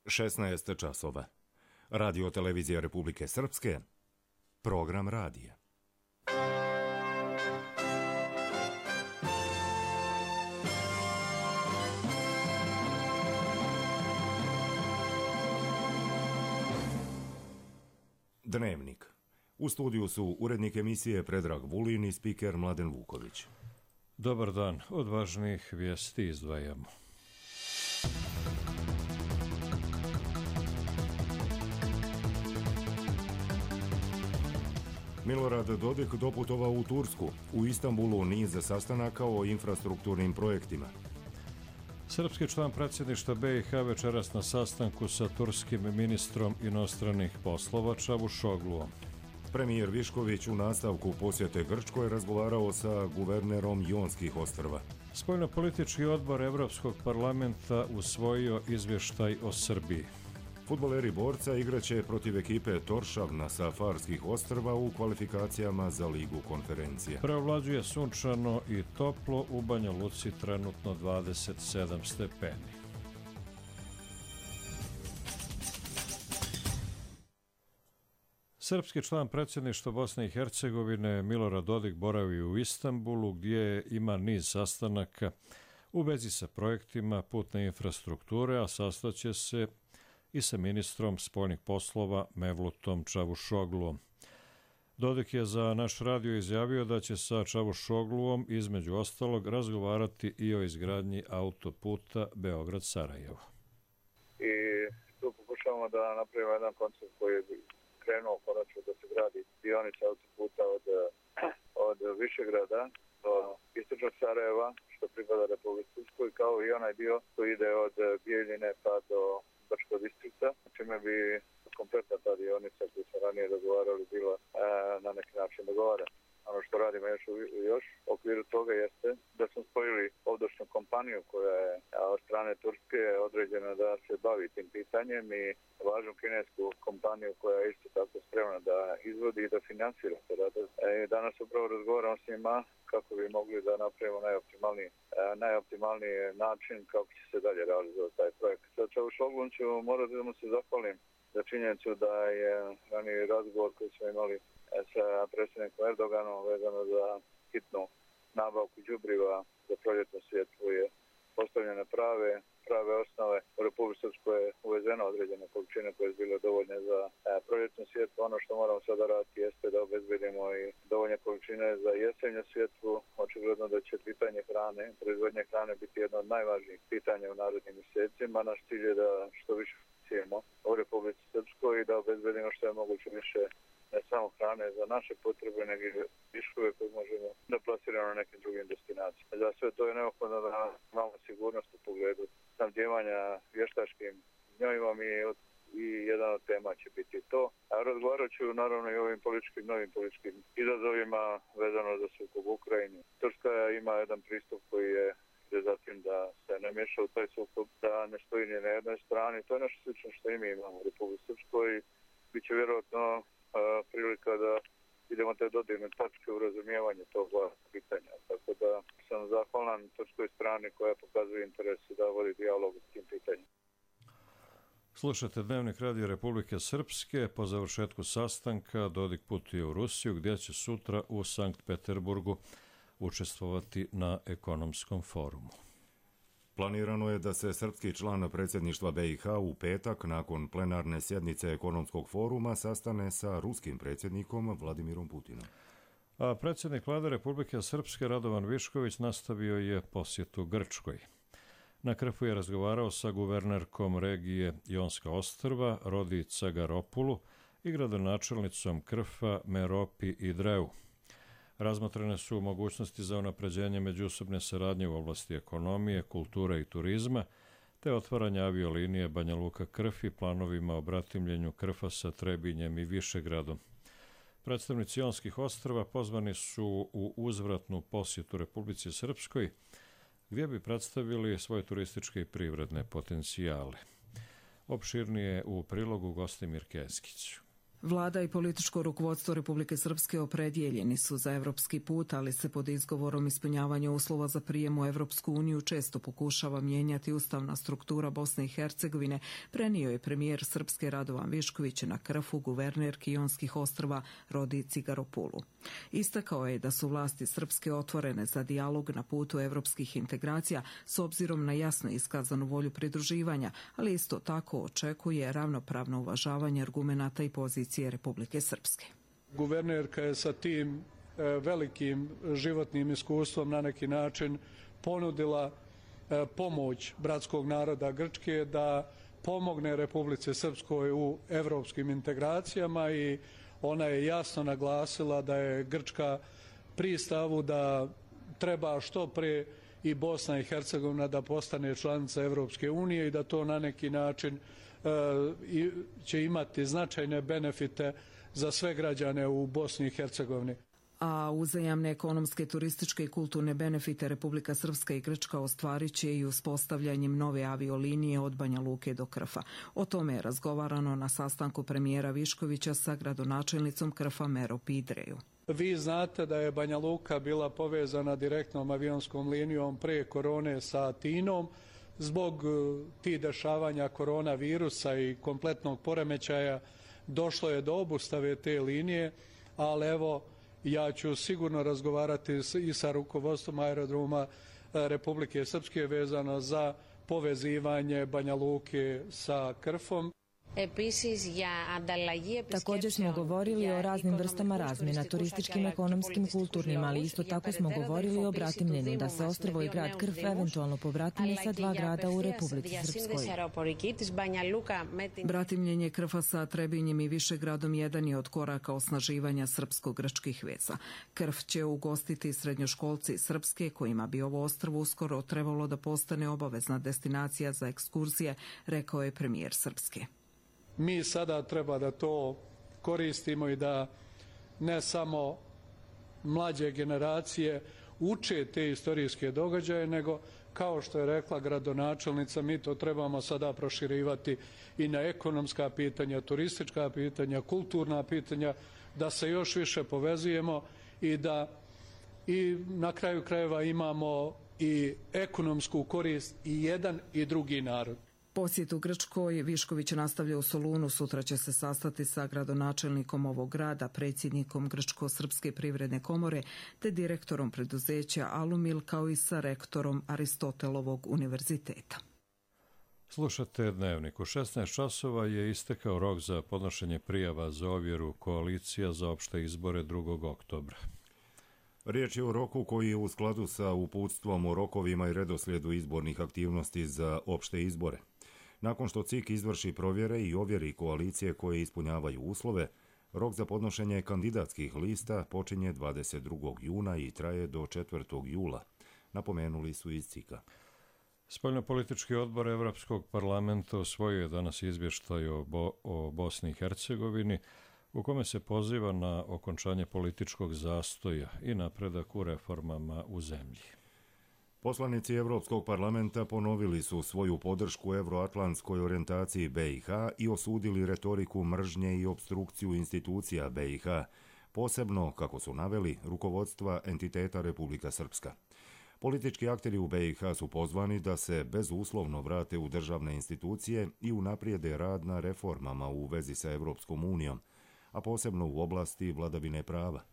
16 časova. Radio televizija Republike Srpske. Program radija. Dnevnik. U studiju su urednik emisije Predrag Vulin i spiker Mladen Vuković. Dobar dan, od važnijih vijesti izdvajamo. Milorad Dodik doputovao u Tursku. U Istanbulu niz sastanaka o infrastrukturnim projektima. Srpski član predsjedništva BiH večeras na sastanku sa turskim ministrom inostranih poslova Čavuşogluom. Premijer Višković u nastavku posjete Grčkoj razgovarao sa guvernerom Jonskih ostrva. Spoljnopolitički odbor Evropskog parlamenta usvojio izvještaj o Srbiji. Fudbaleri Borca igraće protiv ekipe Toršavna sa Farskih ostrva u kvalifikacijama za Ligu konferencije. Preovlađuje sunčano i toplo, u Banja Luci trenutno 27 stepeni. Srpski član predsjedništva Bosne i Hercegovine Milorad Dodik boravi u Istanbulu gdje ima niz sastanaka u vezi sa projektima putne infrastrukture, a sastaće se i sa ministrom spoljnih poslova Mevlutom Čavuşogluom. Dodik je za naš radio izjavio da će sa Čavuşogluom između ostalog razgovarati i o izgradnji autoputa Beograd-Sarajevo. I tu pokušavamo da napravimo jedan koncept koji je krenuo konačno da se gradi dionica autoputa od Višegrada do istočnog Sarajeva, što pripada Republici Srpskoj, kao i onaj dio koji ide od Bijeljine pa do Brčkog distrikta, čime bi kompletna ta dionica koju smo ranije dogovarali bila na neki način dogovarana. Ono što radimo još u okviru toga jeste da smo spojili ovdošnju kompaniju koja je od strane Turske određena da se bavi tim pitanjem i važnu kinesku kompaniju koja je isto tako spremna da izvodi i da finansira te radove. Danas upravo razgovaramo s njima kako bi mogli da napravimo najoptimalniji način kako će se dalje realizovati taj projekt. Sa Čavuşoglom ću morati da mu se zahvalim za činjenicu da je raniji razgovor koji smo imali sa predsjednikom Erdoganom vezano za hitnu nabavku đubriva za proljetnu sjetvu je postavljene prave osnove. U Republici Srpskoj je uvezeno određene količine koje su bile dovoljne za proljetnu sjetvu. Ono što moramo sada raditi jeste da obezbedimo i dovoljne količine za jesenju sjetvu. Očigledno da će pitanje hrane, proizvodnje hrane biti jedno od najvažnijih pitanja u narednim mjesecima. Naš cilj je da što više sijemo u Republici Srpskoj i da obezbedimo što je moguće više ne samo hrane za naše potrebe, nego i viškove koje možemo da plasiramo na nekim drugim destinacijama. Za sve to je neophodno da imamo sigurnost u pogledu snabdijevanja vještačkim gnjojivom i jedan od tema će biti to. A razgovarat ću naravno i o ovim novim političkim izazovima vezano za sukob u Ukrajini. Turska ima jedan pristup koji je zatim da se ne miješa u taj sukob, da ne stoji ni na jednoj strani. To je nešto slično što i mi imamo u Republici Srpskoj. Biće vjerojatno prilika da idemo te dodirne tačke u razumijevanju tog pitanja. Tako da sam zahvalan turskoj strani koja pokazuje interes da vodi dijalog s tim pitanjem. Slušate Dnevnik Radio Republike Srpske. Po završetku sastanka Dodik putuje u Rusiju gdje će sutra u Sankt Peterburgu učestvovati na ekonomskom forumu. Planirano je da se srpski član predsjedništva BiH u petak nakon plenarne sjednice ekonomskog foruma sastane sa ruskim predsjednikom Vladimirom Putinom. A predsjednik Vlade Republike Srpske Radovan Višković nastavio je posjetu Grčkoj. Na Krfu je razgovarao sa guvernerkom regije Jonska ostrva Rodi Cagaropulu i gradonačelnicom Krfa Meropi Idreu. Razmotrene su mogućnosti za unapređenje međusobne saradnje u oblasti ekonomije, kulture i turizma, te otvaranje aviolinije Banja Luka-Krf i planovima o bratimljenju Krfa sa Trebinjem i Višegradom. Predstavnici Jonskih ostrva pozvani su u uzvratnu posjetu Republici Srpskoj, gdje bi predstavili svoje turističke i privredne potencijale. Opširnije u prilogu Gostimir Keskić. Vlada i političko rukovodstvo Republike Srpske opredjeljeni su za evropski put, ali se pod izgovorom ispunjavanja uslova za prijem u Evropsku uniju često pokušava mijenjati ustavna struktura Bosne i Hercegovine, prenio je premijer Srpske Radovan Višković na Krfu guvernerki Ionskih ostrva Rodi Cigaropulu. Istakao je da su vlasti Srpske otvorene za dijalog na putu evropskih integracija s obzirom na jasno iskazanu volju pridruživanja, ali isto tako očekuje ravnopravno uvažavanje argumenata i pozicije Republike Srpske. Guvernerka je sa tim velikim životnim iskustvom na neki način ponudila pomoć bratskog naroda Grčke da pomogne Republici Srpskoj u evropskim integracijama i ona je jasno naglasila da je Grčka pri stavu da treba što pre i Bosna i Hercegovina da postane članica Evropske unije i da to na neki način će imati značajne benefite za sve građane u Bosni i Hercegovini. A uzajamne ekonomske, turističke i kulturne benefite Republika Srpska i Grčka ostvarit će i uspostavljanjem nove aviolinije od Banja Luke do Krfa. O tome je razgovarano na sastanku premijera Viškovića sa gradonačelnicom Krfa Mero Pidreju. Vi znate da je Banja Luka bila povezana direktnom avionskom linijom pre korone sa Atinom. Zbog tih dešavanja koronavirusa i kompletnog poremećaja došlo je do obustave te linije, ali evo ja ću sigurno razgovarati i sa rukovodstvom aerodroma Republike Srpske vezano za povezivanje Banja Luke sa Krfom. Također smo govorili o raznim vrstama razmjena, turističkim, ekonomskim, kulturnim, ali isto tako smo govorili o bratimljenju, da se ostrvo i grad Krf eventualno pobratime sa dva grada u Republici Srpskoj. Bratimljenje Krfa sa Trebinjem i Višegradom jedan je od koraka osnaživanja srpsko-grčkih veza. Krf će ugostiti srednjoškolci Srpske, kojima bi ovo ostrvo uskoro trebalo da postane obavezna destinacija za ekskurzije, rekao je premijer Srpske. Mi sada treba da to koristimo i da ne samo mlađe generacije uče te istorijske događaje, nego kao što je rekla gradonačelnica, mi to trebamo sada proširivati i na ekonomska pitanja, turistička pitanja, kulturna pitanja, da se još više povezujemo i da i na kraju krajeva imamo i ekonomsku korist i jedan i drugi narod. Posjet u Grčkoj Višković nastavlja u Solunu. Sutra će se sastati sa gradonačelnikom ovog grada, predsjednikom Grčko-srpske privredne komore te direktorom preduzeća Alumil, kao i sa rektorom Aristotelovog univerziteta. Slušate Dnevnik. U 16 časova je istekao rok za podnošenje prijava za ovjeru koalicija za opšte izbore 2. oktobra. Riječ je o roku koji je u skladu sa uputstvom o rokovima i redoslijedu izbornih aktivnosti za opšte izbore. Nakon što CIK izvrši provjere i ovjeri koalicije koje ispunjavaju uslove, rok za podnošenje kandidatskih lista počinje 22. juna i traje do 4. jula, napomenuli su iz CIK-a. Spoljnopolitički odbor Evropskog parlamenta usvojio je danas izvještaj o Bosni i Hercegovini, u kome se poziva na okončanje političkog zastoja i napredak u reformama u zemlji. Poslanici Evropskog parlamenta ponovili su svoju podršku evroatlantskoj orijentaciji BiH i osudili retoriku mržnje i opstrukciju institucija BiH, posebno, kako su naveli, rukovodstva entiteta Republika Srpska. Politički akteri u BiH su pozvani da se bezuslovno vrate u državne institucije i unaprijede rad na reformama u vezi sa Evropskom unijom, a posebno u oblasti vladavine prava.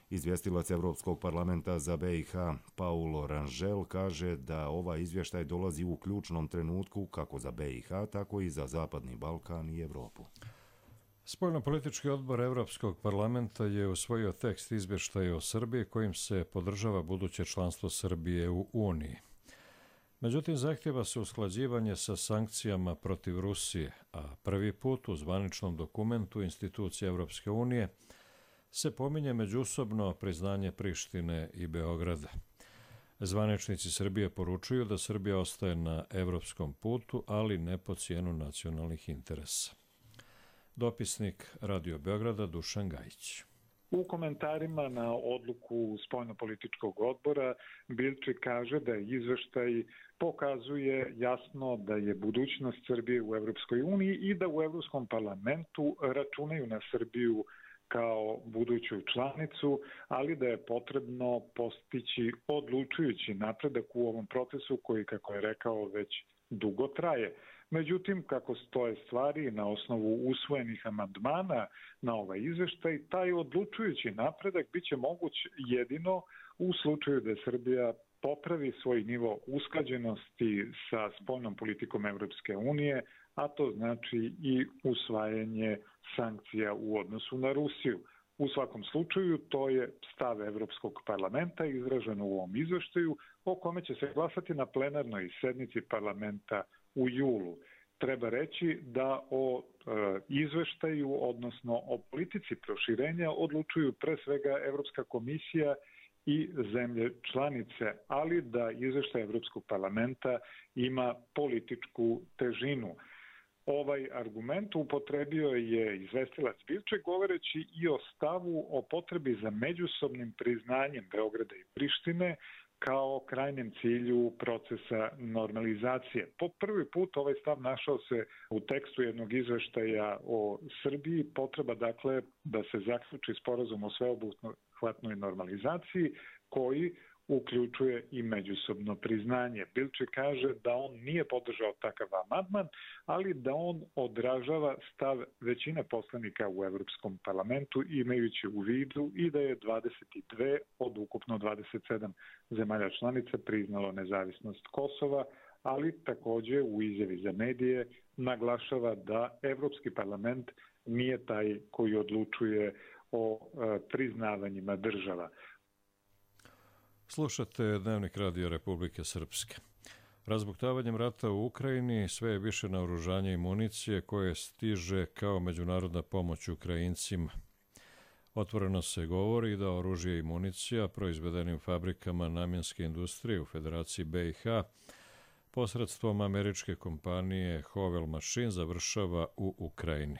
Izvjestilac Evropskog parlamenta za BiH Paulo Rangel kaže da ovaj izvještaj dolazi u ključnom trenutku kako za BiH, tako i za Zapadni Balkan i Evropu. Spoljnopolitički odbor Evropskog parlamenta je usvojio tekst izvještaja o Srbiji kojim se podržava buduće članstvo Srbije u Uniji. Međutim, zahtjeva se usklađivanje sa sankcijama protiv Rusije, a prvi put u zvaničnom dokumentu institucije Evropske unije se pominje međusobno priznanje Prištine i Beograda. Zvaničnici Srbije poručuju da Srbija ostaje na evropskom putu, ali ne po cijenu nacionalnih interesa. Dopisnik Radio Beograda Dušan Gajić. U komentarima na odluku spoljnopolitičkog odbora Bilčik kaže da izveštaj pokazuje jasno da je budućnost Srbije u Evropskoj uniji i da u Evropskom parlamentu računaju na Srbiju kao buduću članicu, ali da je potrebno postići odlučujući napredak u ovom procesu koji, kako je rekao, već dugo traje. Međutim, kako stoje stvari na osnovu usvojenih amandmana na ovaj izveštaj, taj odlučujući napredak biće moguć jedino u slučaju da Srbija popravi svoj nivo usklađenosti sa spoljnom politikom Evropske unije, a to znači i usvajanje sankcija u odnosu na Rusiju. U svakom slučaju, to je stav Evropskog parlamenta izražen u ovom izveštaju, o kome će se glasati na plenarnoj sednici parlamenta u julu. Treba reći da o izveštaju, odnosno o politici proširenja, odlučuju pre svega Evropska komisija i zemlje članice, ali da izveštaj Evropskog parlamenta ima političku težinu. Ovaj argument upotrebio je izvestilac Bilček govoreći i o stavu o potrebi za međusobnim priznanjem Beograda i Prištine kao krajnjem cilju procesa normalizacije. Po prvi put ovaj stav našao se u tekstu jednog izveštaja o Srbiji, potreba dakle da se zaključi sporazum o sveobuhvatnoj normalizaciji koji uključuje i međusobno priznanje. Bilčik kaže da on nije podržao takav amandman, ali da on odražava stav većine poslanika u Evropskom parlamentu, imajući u vidu i da je 22 od ukupno 27 zemalja članica priznalo nezavisnost Kosova, ali takođe u izjavi za medije naglašava da Evropski parlament nije taj koji odlučuje o priznavanjima država. Slušate Dnevnik Radio Republike Srpske. Razbuktavanjem rata u Ukrajini sve je više naoružanja i municije koje stiže kao međunarodna pomoć Ukrajincima. Otvoreno se govori da oružje i municija proizvedenim fabrikama namjenske industrije u Federaciji BiH posredstvom američke kompanije Hovel Machine završava u Ukrajini.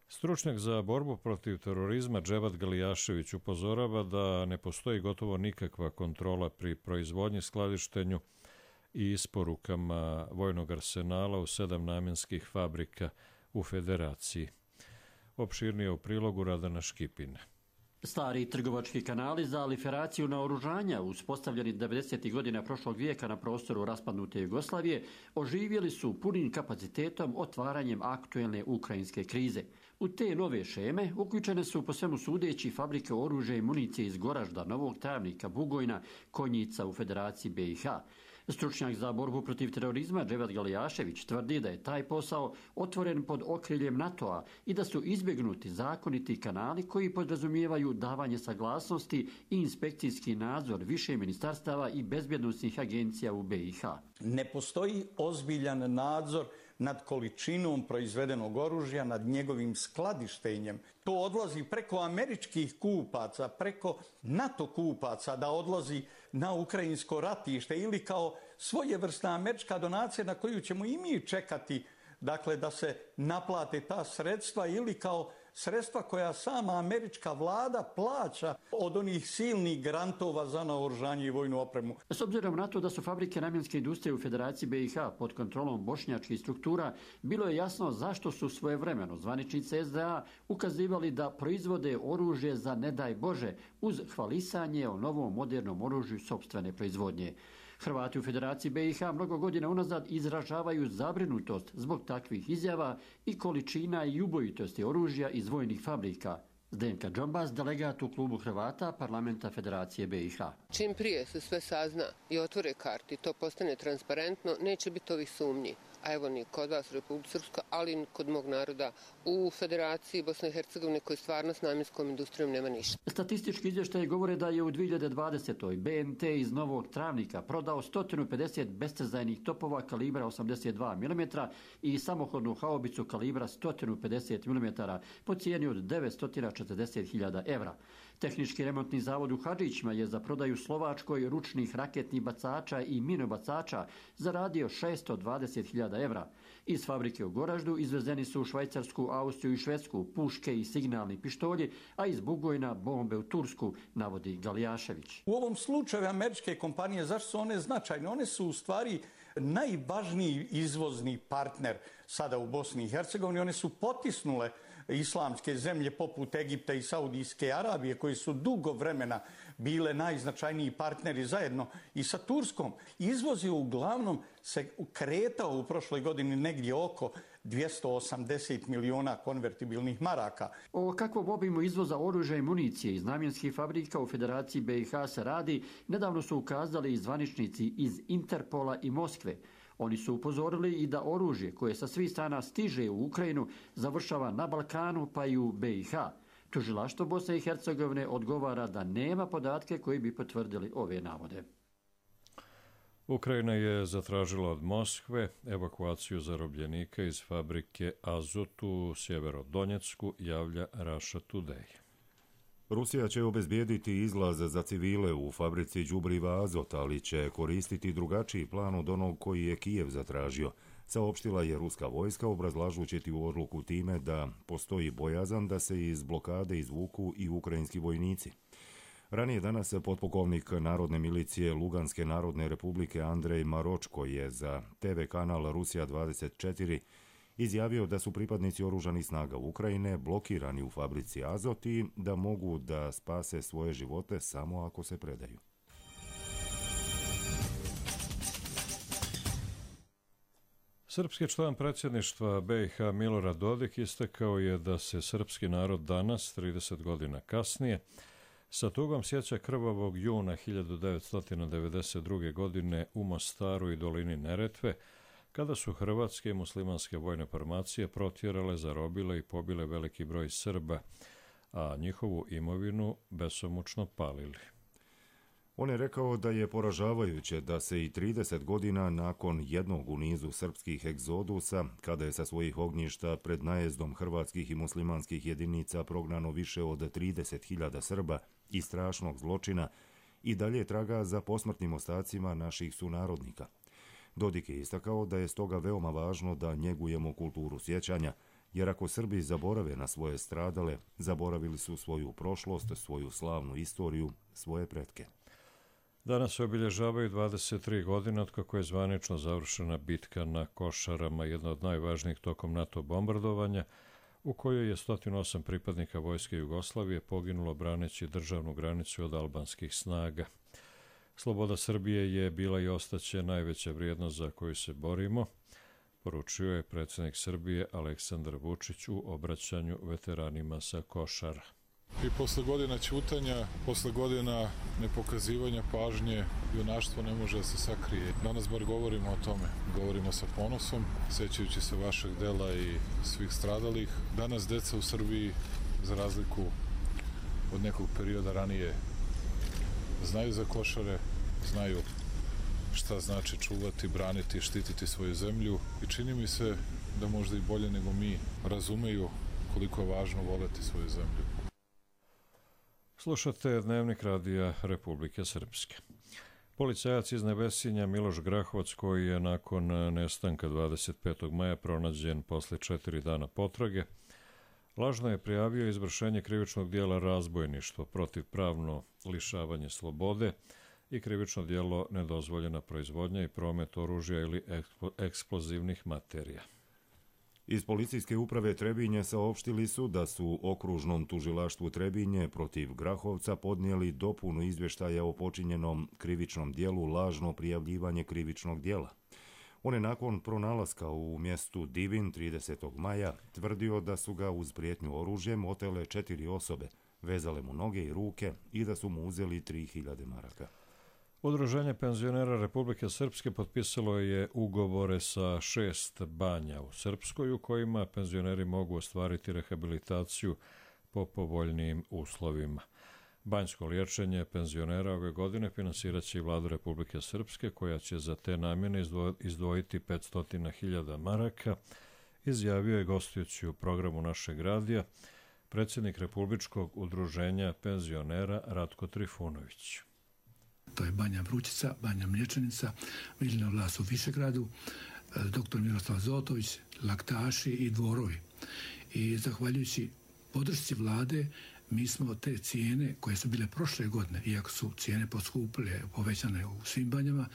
Stručnjak za borbu protiv terorizma Dževat Galijašević upozorava da ne postoji gotovo nikakva kontrola pri proizvodnji, skladištenju i isporukama vojnog arsenala u 7 namjenskih fabrika u Federaciji. Opširnije u prilogu Radana Škipine. Stari trgovački kanali za liferaciju naoružanja, uspostavljeni 90. godina prošlog vijeka na prostoru raspadnute Jugoslavije, oživjeli su punim kapacitetom otvaranjem aktuelne ukrajinske krize. U te nove šeme uključene su po svemu sudeći fabrike oružja i municije iz Goražda, Novog Travnika, Bugojna, Konjica u Federaciji BiH. Stručnjak za borbu protiv terorizma Dževat Galijašević tvrdi da je taj posao otvoren pod okriljem NATO-a i da su izbjegnuti zakoniti kanali koji podrazumijevaju davanje saglasnosti i inspekcijski nadzor više ministarstava i bezbjednosnih agencija u BiH. Ne postoji ozbiljan nadzor nad količinom proizvedenog oružja, nad njegovim skladištenjem. To odlazi preko američkih kupaca, preko NATO kupaca da odlazi na ukrajinsko ratište ili kao svojevrsna američka donacija na koju ćemo i mi čekati, dakle da se naplate ta sredstva ili kao sredstva koja sama američka vlada plaća od onih silnih grantova za naoružanje i vojnu opremu. S obzirom na to da su fabrike namjenske industrije u Federaciji BiH pod kontrolom bošnjačkih struktura, bilo je jasno zašto su svojevremeno zvaničnici SDA ukazivali da proizvode oružje za ne daj Bože uz hvalisanje o novom modernom oružju sopstvene proizvodnje. Hrvati u Federaciji BiH mnogo godina unazad izražavaju zabrinutost zbog takvih izjava i količina i ubojitosti oružja iz vojnih fabrika. Zdenka Džombas, delegat u klubu Hrvata parlamenta Federacije BiH. Čim prije se sve sazna i otvore karti, to postane transparentno, neće biti ovih sumnji. A evo ni kod vas u Republike Srpskoj, ali i kod mog naroda u Federaciji Bosne i Hercegovine koji stvarno s namjenskom industrijom nema ništa. Statistički izvještaji govore da je u 2020. BNT iz Novog Travnika prodao 150 bestrzajnih topova kalibra 82 mm i samohodnu haubicu kalibra 150 mm po cijeni od 940.000 evra. Tehnički remontni zavod u Hadžićima je za prodaju Slovačkoj ručnih raketnih bacača i minobacača zaradio 620.000 evra. Iz fabrike u Goraždu izvezeni su u Švajcarsku, Austriju i Švedsku puške i signalni pištolji, a iz Bugojna bombe u Tursku, navodi Galijašević. U ovom slučaju američke kompanije, zašto su one značajne? One su u stvari najvažniji izvozni partner sada u Bosni i Hercegovini. One su potisnule islamske zemlje poput Egipta i Saudijske Arabije, koji su dugo vremena bile najznačajniji partneri zajedno i sa Turskom. Izvoz je uglavnom se kretao u prošloj godini negdje oko 280 miliona konvertibilnih maraka. O kakvom obimu izvoza oružja i municije iz namjenskih fabrika u Federaciji BiH se radi, nedavno su ukazali i zvaničnici iz Interpola i Moskve. Oni su upozorili i da oružje koje sa svih strana stiže u Ukrajinu završava na Balkanu pa i u BiH. Tužilaštvo Bosne i Hercegovine odgovara da nema podatke koji bi potvrdili ove navode. Ukrajina je zatražila od Moskve evakuaciju zarobljenika iz fabrike Azot u Sjeverodonjecku, javlja Russia Today. Rusija će obezbijediti izlaz za civile u fabrici đubriva Azot, ali će koristiti drugačiji plan od onog koji je Kijev zatražio. Saopštila je ruska vojska, obrazlažući tu odluku time da postoji bojazan da se iz blokade izvuku i ukrajinski vojnici. Ranije danas potpukovnik Narodne milicije Luganske narodne republike Andrej Maročko je za TV kanal Rusija 24 izjavio da su pripadnici oružanih snaga Ukrajine blokirani u fabrici Azot i da mogu da spase svoje živote samo ako se predaju. Srpski član predsjedništva BiH Milorad Dodik istakao je da se srpski narod danas, 30 godina kasnije, sa tugom sjeća krvavog juna 1992. godine u Mostaru i dolini Neretve, kada su hrvatske i muslimanske vojne formacije protjerale, zarobile i pobile veliki broj Srba, a njihovu imovinu besomučno palili. On je rekao da je poražavajuće da se i 30 godina nakon jednog u nizu srpskih egzodusa, kada je sa svojih ognjišta pred najezdom hrvatskih i muslimanskih jedinica prognano više od 30.000 Srba i strašnog zločina, i dalje traga za posmrtnim ostacima naših sunarodnika. Dodik je istakao da je stoga veoma važno da njegujemo kulturu sjećanja, jer ako Srbi zaborave na svoje stradale, zaboravili su svoju prošlost, svoju slavnu istoriju, svoje pretke. Danas se obilježavaju 23 godine od kako je zvanično završena bitka na Košarama, jedna od najvažnijih tokom NATO bombardovanja, u kojoj je 108 pripadnika vojske Jugoslavije poginulo braneći državnu granicu od albanskih snaga. Sloboda Srbije je bila i ostaće najveća vrijednost za koju se borimo, poručio je predsjednik Srbije Aleksandar Vučić u obraćanju veteranima sa Košara. I posle godina ćutanja, posle godina nepokazivanja pažnje, junaštvo ne može da se sakrije. Danas bar govorimo o tome. Govorimo sa ponosom, sećajući se vašeg dela i svih stradalih. Danas deca u Srbiji, za razliku od nekog perioda ranije, znaju za Košare, znaju šta znači čuvati, braniti, štititi svoju zemlju i čini mi se da možda i bolje nego mi razumeju koliko je važno voleti svoju zemlju. Slušate Dnevnik radija Republike Srpske. Policajac iz Nevesinja Miloš Grahovac, koji je nakon nestanka 25. maja pronađen posle 4 dana potrage, lažno je prijavio izvršenje krivičnog dijela razbojništvo, protivpravno lišavanje slobode i krivično dijelo nedozvoljena proizvodnja i promet oružja ili eksplozivnih materija. Iz policijske uprave Trebinje saopštili su da su okružnom tužilaštvu Trebinje protiv Grahovca podnijeli dopunu izvještaja o počinjenom krivičnom dijelu lažno prijavljivanje krivičnog dijela. On je nakon pronalaska u mjestu Divin 30. maja tvrdio da su ga uz prijetnju oružjem otele 4 osobe, vezale mu noge i ruke i da su mu uzeli 3000 maraka. Udruženje penzionera Republike Srpske potpisalo je ugovore sa 6 banja u Srpskoj u kojima penzioneri mogu ostvariti rehabilitaciju po povoljnijim uslovima. Banjsko liječenje penzionera ove godine finansirat će i Vlada Republike Srpske, koja će za te namjene izdvojiti 500.000 maraka, izjavio je gostujući u programu našeg radija predsjednik Republičkog udruženja penzionera Ratko Trifunović. To je Banja Vrućica, Banja Mlječanica, Viljina Vlas u Višegradu, dr. Miroslav Zotović, Laktaši i Dvorovi. I zahvaljujući podršci vlade, mi smo te cijene koje su bile prošle godine, iako su cijene poskupile, povećane u svim banjama,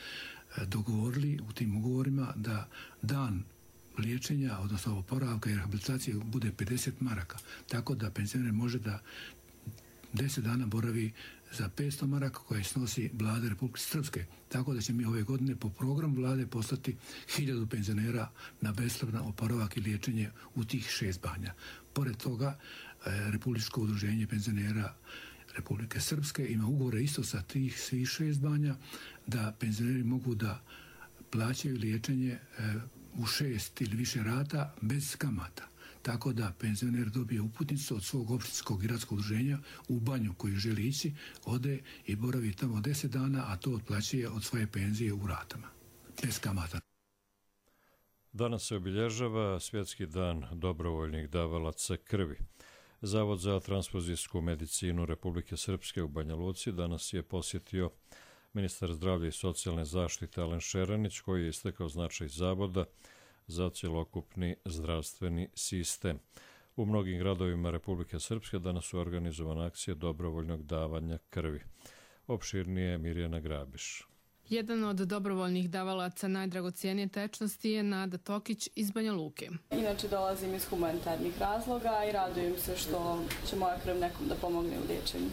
dogovorili u tim ugovorima da dan liječenja, odnosno oporavka i rehabilitacije bude 50 maraka. Tako da penzioner može da 10 dana boravi za 500 maraka koje snosi vlada Republike Srpske. Tako da će mi ove godine po programu vlade poslati 1000 penzionera na besplatan oporavak i liječenje u tih 6 banja. Pored toga, Republičko udruženje penzionera Republike Srpske ima ugovore isto sa tih svih 6 banja da penzioneri mogu da plaćaju liječenje u 6 ili više rata bez kamata. Tako da penzioner dobije uputnicu od svog opštinskog gradskog udruženja u banju koju želi ići, ode i boravi tamo 10 dana, a to otplaćuje od svoje penzije u ratama, bez kamata. Danas se obilježava Svjetski dan dobrovoljnih davalaca krvi. Zavod za transfuzijsku medicinu Republike Srpske u Banja Luci danas je posjetio ministar zdravlja i socijalne zaštite Alen Šeranić, koji je istakao značaj zavoda za cjelokupni zdravstveni sistem. U mnogim gradovima Republike Srpske danas su organizovane akcije dobrovoljnog davanja krvi. Opširnije Mirjana Grabiš. Jedan od dobrovoljnih davalaca najdragocijenije tečnosti je Nada Tokić iz Banja Luke. Inače dolazim iz humanitarnih razloga i radujem se što će moja krv nekom da pomogne u liječenju.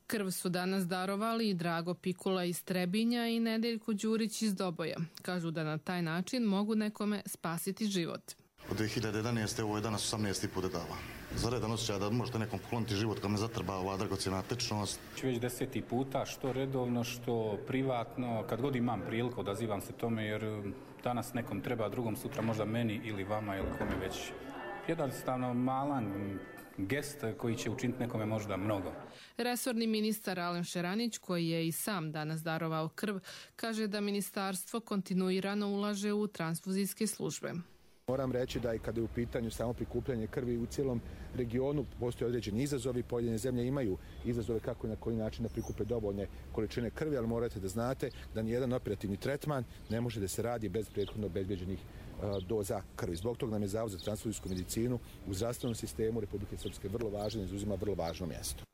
Krv su danas darovali i Drago Pikula iz Trebinja i Nedeljko Đurić iz Doboja. Kažu da na taj način mogu nekome spasiti život. Od 2011. ovo je danas 18. put da dava. Za redan osjećaj da možete nekom pokloniti život kad me zatrba ova dragocijena tečnost. Već 10. puta, što redovno, što privatno, kad god imam priliku odazivam se tome jer danas nekom treba, drugom sutra možda meni ili vama ili kome već. Jednostavno malan gest koji će učiniti nekome možda mnogo. Resorni ministar Alen Šeranić, koji je i sam danas darovao krv, kaže da ministarstvo kontinuirano ulaže u transfuzijske službe. Moram reći da i kada je u pitanju samo prikupljanje krvi u cijelom regionu postoje određeni izazovi. Pojedine zemlje imaju izazove kako i na koji način da prikupe dovoljne količine krvi, ali morate da znate da nijedan operativni tretman ne može da se radi bez prethodno obezbeđenih doza krvi. Zbog toga nam je Zavod za transfuzijsku medicinu u zdravstvenom sistemu Republike Srpske vrlo važan i zauzima vrlo važno mjesto.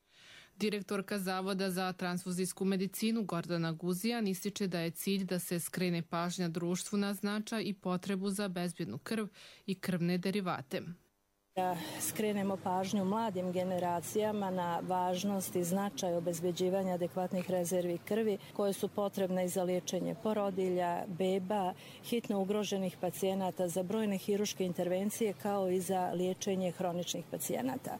Direktorka Zavoda za transfuzijsku medicinu Gordana Guzijan ističe da je cilj da se skrene pažnja društvu na značaj i potrebu za bezbjednu krv i krvne derivate. Da skrenemo pažnju mladim generacijama na važnost i značaj obezbeđivanja adekvatnih rezervi krvi koje su potrebne i za liječenje porodilja, beba, hitno ugroženih pacijenata, za brojne hiruške intervencije kao i za liječenje hroničnih pacijenata.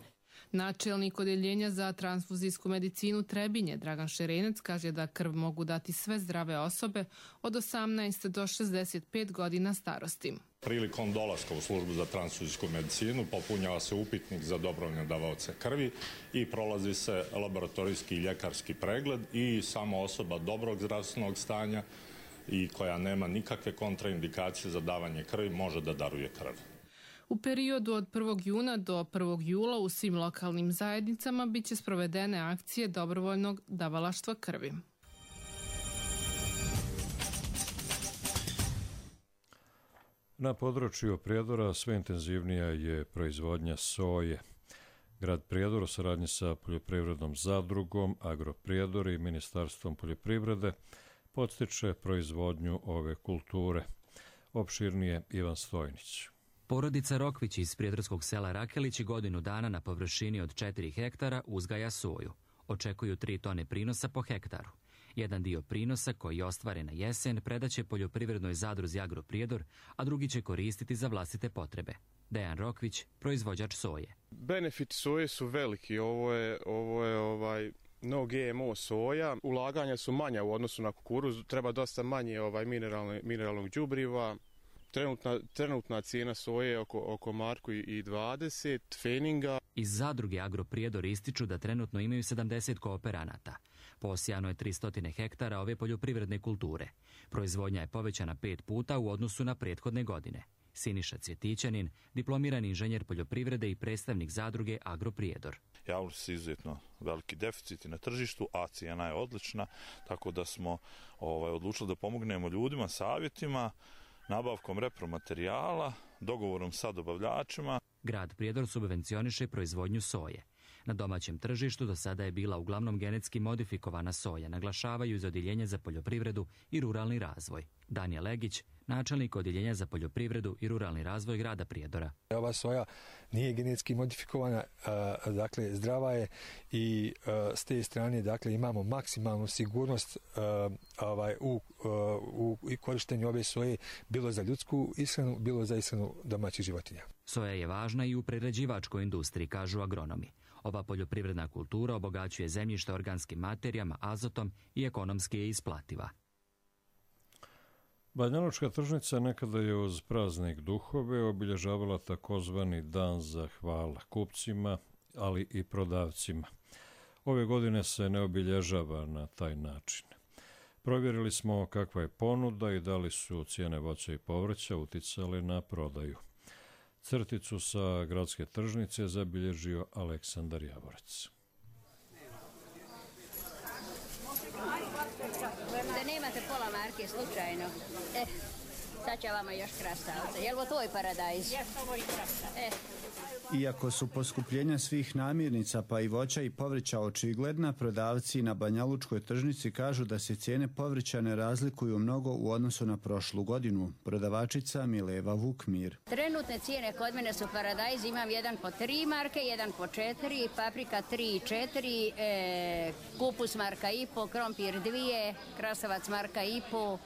Načelnik Odeljenja za transfuzijsku medicinu Trebinje Dragan Šerenac kaže da krv mogu dati sve zdrave osobe od 18 do 65 godina starosti. Prilikom dolaska u službu za transfuzijsku medicinu popunjava se upitnik za dobrovoljne davaoce krvi i prolazi se laboratorijski i ljekarski pregled i samo osoba dobrog zdravstvenog stanja i koja nema nikakve kontraindikacije za davanje krvi može da daruje krv. U periodu od 1. juna do 1. jula u svim lokalnim zajednicama biće sprovedene akcije dobrovoljnog davalaštva krvi. Na području Prijedora sve intenzivnija je proizvodnja soje. Grad Prijedor u saradnji sa poljoprivrednom zadrugom Agroprijedor i Ministarstvom poljoprivrede podstiče proizvodnju ove kulture. Opširnije Ivan Stojnić. Porodica Rokvić iz prijedorskog sela Rakelić godinu dana na površini od 4 hektara uzgaja soju. Očekuju 3 tone prinosa po hektaru. Jedan dio prinosa koji je ostvaren na jesen predaće poljoprivrednoj zadruzi Agroprijedor, a drugi će koristiti za vlastite potrebe. Dejan Rokvić, proizvođač soje. Benefiti soje su veliki. Ovo je no GMO soja. Ulaganja su manja u odnosu na kukuruz. Treba dosta manje mineralnog đubriva. Trenutna cijena soje je oko marku i 20 feninga. Iz zadruge Agroprijedor ističu da trenutno imaju 70 kooperanata. Posijano je 300 hektara ove poljoprivredne kulture. Proizvodnja je povećana 5 puta u odnosu na prethodne godine. Siniša Cvjetićanin, diplomirani inženjer poljoprivrede i predstavnik zadruge Agroprijedor. Javili su izuzetno veliki deficiti na tržištu, a cijena je odlična, tako da smo odlučili da pomognemo ljudima savjetima, nabavkom repromaterijala, dogovorom sa dobavljačima. Grad Prijedor subvencioniše proizvodnju soje. Na domaćem tržištu do sada je bila uglavnom genetski modifikovana soja, naglašavaju iz Odjeljenja za poljoprivredu i ruralni razvoj. Danijel Legić, načelnik Odjeljenja za poljoprivredu i ruralni razvoj grada Prijedora. Ova soja nije genetski modifikovana, dakle zdrava je i s te strane dakle imamo maksimalnu sigurnost u korištenju ove soje, bilo za ljudsku ishranu, bilo za ishranu domaćih životinja. Soja je važna i u prerađivačkoj industriji, kažu agronomi. Ova poljoprivredna kultura obogaćuje zemljište organskim materijama, azotom i ekonomski je isplativa. Banjalučka tržnica nekada je uz praznik Duhove obilježavala takozvani dan zahvala kupcima, ali i prodavcima. Ove godine se ne obilježava na taj način. Provjerili smo kakva je ponuda i da li su cijene voća i povrća uticale na prodaju. Crticu sa gradske tržnice zabilježio Aleksandar Javorac. Da nemate pola marke slučajno. Sad će vama još krastavca. Jel ovo tvoj paradajz? Jes, ovo i krastavca. Iako su poskupljenja svih namirnica pa i voća i povrća očigledna, prodavci na Banjalučkoj tržnici kažu da se cijene povrća ne razlikuju mnogo u odnosu na prošlu godinu. Prodavačica Mileva Vukmir. Trenutne cijene kod mene su paradajz, imam jedan po 3 marke, jedan po 4, paprika 3 i 4, kupus marka i po, krompir 2, krasavac marka i po,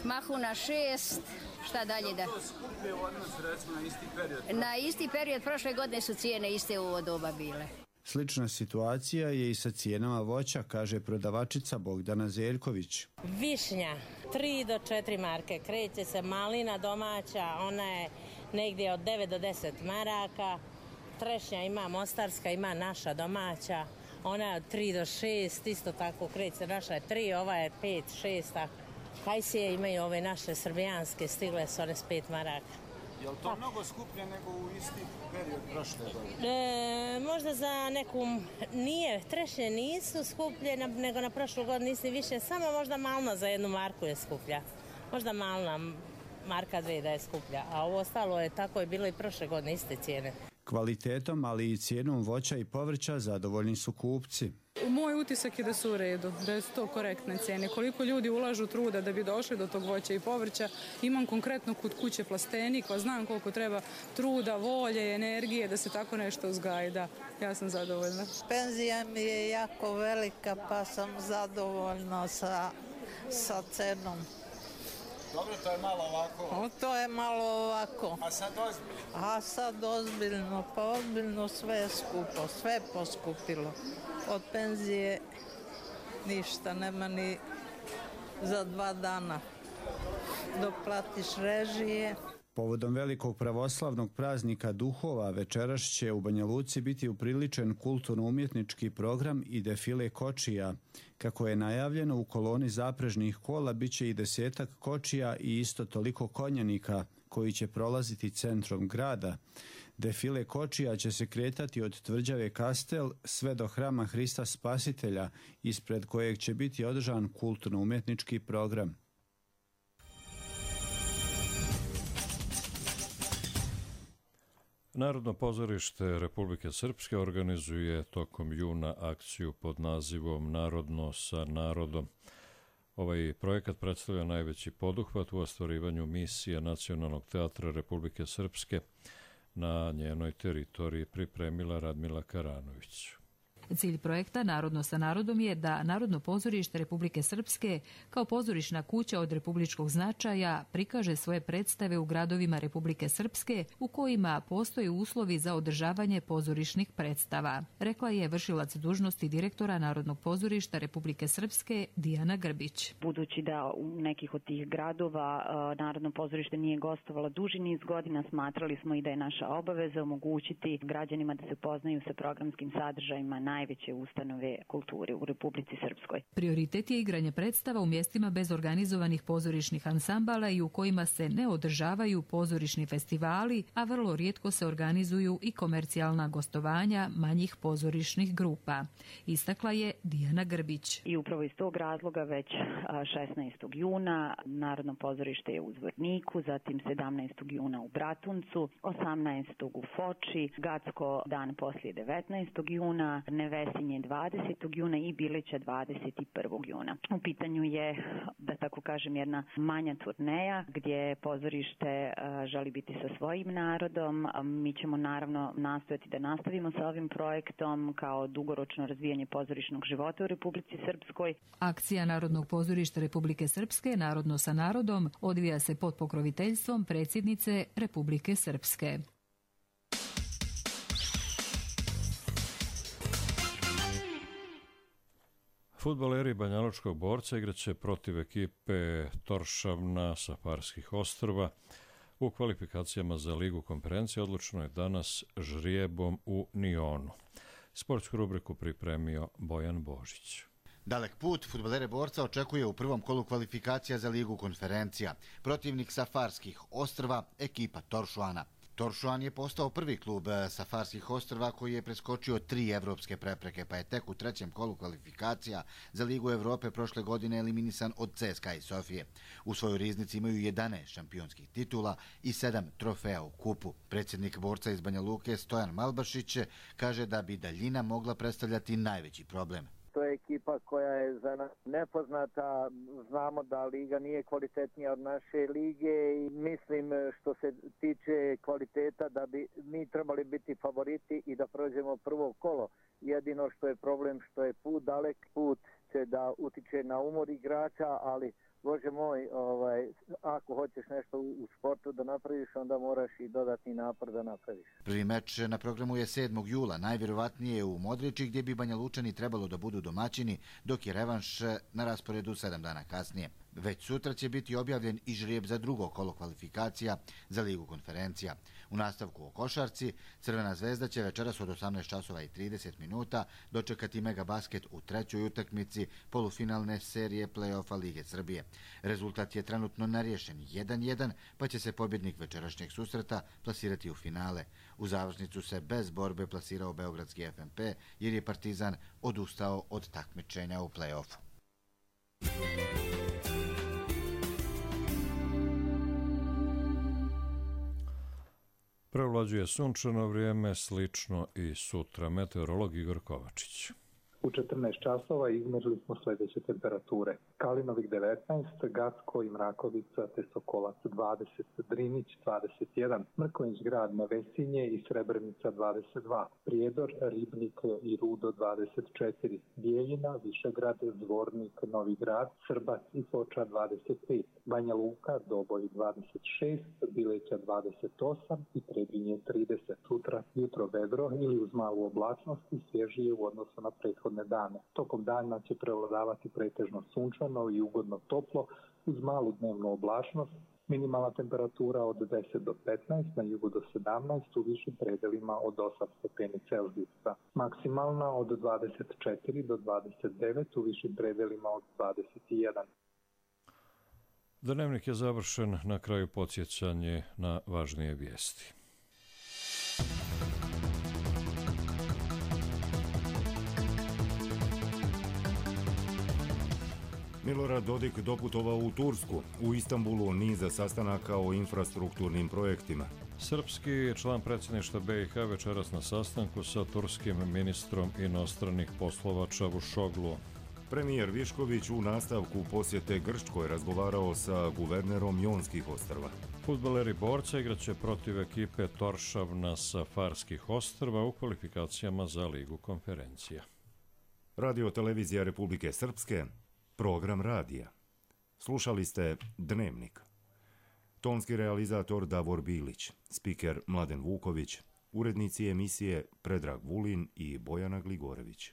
mahuna 6, šta dalje da... To skuplje u odnosu recimo na isti period? Na isti period prošle godine su cijene iste u ovo doba bile. Slična situacija je i sa cijenama voća, kaže prodavačica Bogdana Zeljković. Višnja 3 do 4 marke, kreće se malina domaća, ona je negdje od 9 do 10 maraka, trešnja ima mostarska, ima naša domaća, ona je od 3 do 6, isto tako kreće, naša je 3, ova je 5, 6, tako. Kajsije imaju ove naše srbijanske, stigle su one s 5 maraka. Je li to mnogo skuplje nego u isti period prošle godine? Možda za neku nije, trešnje nisu skuplje nego na prošlu godinu nisi više, samo možda malna za 1 marku je skuplja. Možda malna marka 2 da je skuplja, a ovo ostalo je tako je bilo i prošle godine iste cijene. Kvalitetom, ali i cijenom voća i povrća zadovoljni su kupci. Moj utisak je da su u redu, da su to korektne cijene. Koliko ljudi ulažu truda da bi došli do tog voća i povrća, imam konkretno kod kuće plastenik, pa znam koliko treba truda, volje, energije da se tako nešto uzgaji. Da, ja sam zadovoljna. Penzija mi je jako velika, pa sam zadovoljna sa cenom. Dobro, to je malo ovako. To je malo ovako. A sad ozbiljno? A sad ozbiljno, pa ozbiljno sve je skupo, sve je poskupilo. Od penzije ništa, nema ni za 2 dana. Dok platiš režije. Povodom velikog pravoslavnog praznika Duhova večeras će u Banja Luci biti upriličen kulturno-umjetnički program i defile kočija. Kako je najavljeno, u koloni zaprežnih kola bit će i 10-ak kočija i isto toliko konjanika koji će prolaziti centrom grada. Defile kočija će se kretati od tvrđave Kastel sve do hrama Hrista Spasitelja, ispred kojeg će biti održan kulturno-umjetnički program. Narodno pozorište Republike Srpske organizuje tokom juna akciju pod nazivom Narodno sa narodom. Ovaj projekat predstavlja najveći poduhvat u ostvarivanju misije Nacionalnog teatra Republike Srpske na njenoj teritoriji, pripremila Radmila Karanović. Cilj projekta Narodno sa narodom je da Narodno pozorište Republike Srpske kao pozorišna kuća od republičkog značaja prikaže svoje predstave u gradovima Republike Srpske u kojima postoje uslovi za održavanje pozorišnih predstava, rekla je vršilac dužnosti direktora Narodnog pozorišta Republike Srpske Dijana Grbić. Budući da u nekih od tih gradova Narodno pozorište nije gostovalo duži niz godina, smatrali smo i da je naša obaveza omogućiti građanima da se upoznaju sa programskim sadržajima na najveće ustanove kulture u Republici Srpskoj. Prioritet je igranje predstava u mjestima bez organizovanih pozorišnih ansambala i u kojima se ne održavaju pozorišni festivali, a vrlo rijetko se organizuju i komercijalna gostovanja manjih pozorišnih grupa. Istakla je Dijana Grbić. I upravo iz tog razloga već 16. juna Narodno pozorište je u Zvorniku, zatim 17. juna u Bratuncu, 18. u Foči, Gacko dan poslije 19. juna, Nevesinje 20. juna i Bilića 21. juna. U pitanju je, da tako kažem, jedna manja turneja gdje pozorište želi biti sa svojim narodom. Mi ćemo naravno nastojati da nastavimo sa ovim projektom kao dugoročno razvijanje pozorišnog života u Republici Srpskoj. Akcija Narodnog pozorišta Republike Srpske Narodno sa narodom odvija se pod pokroviteljstvom predsjednice Republike Srpske. Fudbaleri Banjalučkog Borca igraće protiv ekipe Toršavna sa Farskih ostrva. U kvalifikacijama za Ligu konferencije odlučeno je danas žrijebom u Nionu. Sportsku rubriku pripremio Bojan Božić. Dalek put fudbalere Borca očekuje u prvom kolu kvalifikacija za Ligu konferencija. Protivnik sa Farskih ostrva, ekipa Toršuana. Toršuan je postao prvi klub sa Farskih ostrva koji je preskočio 3 evropske prepreke, pa je tek u trećem kolu kvalifikacija za Ligu Evrope prošle godine eliminisan od CSKA i Sofije. U svojoj riznici imaju 11 šampionskih titula i 7 trofeja u kupu. Predsjednik Borca iz Banja Luke Stojan Malbašić kaže da bi daljina mogla predstavljati najveći problem. To je ekipa koja je za nas nepoznata, znamo da liga nije kvalitetnija od naše lige i mislim što se tiče kvaliteta da bi mi trebali biti favoriti i da prođemo prvo kolo. Jedino što je problem što je put dalek, put će da utiče na umor igrača, ali Bože moj, ako hoćeš nešto u sportu da napraviš, onda moraš i dodatni napor da napraviš. Prvi meč na programu je 7. jula, najvjerovatnije u Modriči, gdje bi Banja Lučani trebalo da budu domaćini, dok je revanš na rasporedu 7 dana kasnije. Već sutra će biti objavljen i žrijeb za drugo kolo kvalifikacija za Ligu konferencija. U nastavku o košarci, Crvena zvezda će večeras od 18:30 dočekati Megabasket u trećoj utakmici polufinalne serije play-offa Lige Srbije. Rezultat je trenutno nerješen 1:1, pa će se pobjednik večerašnjeg susreta plasirati u finale. U završnicu se bez borbe plasirao beogradski FNP jer je Partizan odustao od takmičenja u play-offu. Prevlađuje sunčano vrijeme, slično i sutra. Meteorolog Igor Kovačić. U 14 časova izmjerili smo sljedeće temperature. Kalinovik 19, Gacko i Mrakovica te Sokolac 20, Drinić 21, Mrkonjić grad Nevesinje i Srebrenica 22, Prijedor, Ribnik i Rudo 24, Bijeljina, Višegrad, Zvornik, Novi grad, Srbac i Foča 25, Banja Luka, Doboj 26, Bileća 28 i Trebinje 30. Sutra jutro vedro ili uz malu oblačnost i svježije u odnosu na prethodne dane. Tokom dana će prevladavati pretežno sunčano i ugodno toplo uz malu dnevnu oblačnost. Minimalna temperatura od 10 do 15, na jugu do 17, u višim predelima od 8 stepeni Celzijusa. Maksimalna od 24 do 29, u višim predelima od 21. Dnevnik je završen, na kraju podsjećanje na važnije vijesti. Milorad Dodik doputovao u Tursku. U Istanbulu niza sastanaka o infrastrukturnim projektima. Srpski član predsjedništva BiH večeras na sastanku sa turskim ministrom inostranih poslova Čavušogluom. Premijer Višković u nastavku posjete Grčkoj razgovarao sa guvernerom Jonskih ostrva. Fudbaleri Borca igraće protiv ekipe Toršavna sa Farskih ostrva u kvalifikacijama za Ligu konferencija. Radio televizija Republike Srpske, program radija. Slušali ste Dnevnik. Tonski realizator Davor Bilić, spiker Mladen Vuković, urednici emisije Predrag Vulin i Bojana Gligorević.